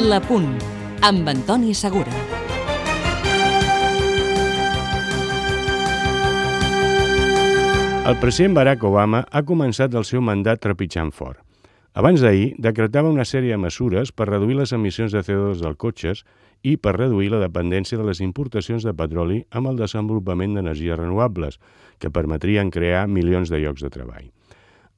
La Punt, amb Antoni Segura. El president Barack Obama ha començat el seu mandat trepitjant fort. Abans d'ahir, decretava una sèrie de mesures per reduir les emissions de CO2 dels cotxes i per reduir la dependència de les importacions de petroli amb el desenvolupament d'energies renovables, que permetrien crear milions de llocs de treball.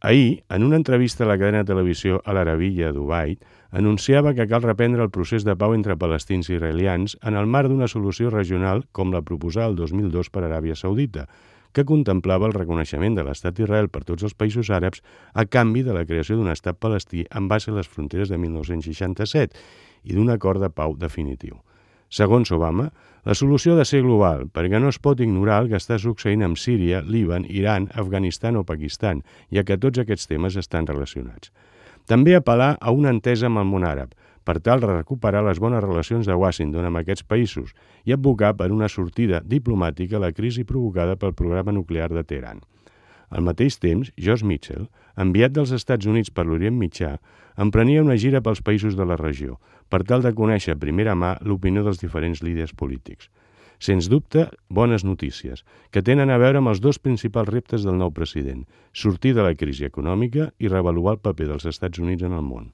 Ahir, en una entrevista a la cadena de televisió Al Arabiya de Dubai, anunciava que cal reprendre el procés de pau entre palestins i israelians en el marc d'una solució regional com la proposada el 2002 per Aràbia Saudita, que contemplava el reconeixement de l'estat d'Israel per tots els països àrabs a canvi de la creació d'un estat palestí en base a les fronteres de 1967 i d'un acord de pau definitiu. Segons Obama, la solució ha de ser global, perquè no es pot ignorar el que està succeint amb Síria, Líban, Iran, Afganistan o Pakistan, ja que tots aquests temes estan relacionats. També apel·lar a una entesa amb el món àrab, per tal de recuperar les bones relacions de Washington amb aquests països i advocar per una sortida diplomàtica a la crisi provocada pel programa nuclear de Teheran. Al mateix temps, Josh Mitchell, enviat dels Estats Units per l'Orient Mitjà, emprenia una gira pels països de la regió, per tal de conèixer a primera mà l'opinió dels diferents líders polítics. Sens dubte, bones notícies, que tenen a veure amb els dos principals reptes del nou president, sortir de la crisi econòmica i reavaluar el paper dels Estats Units en el món.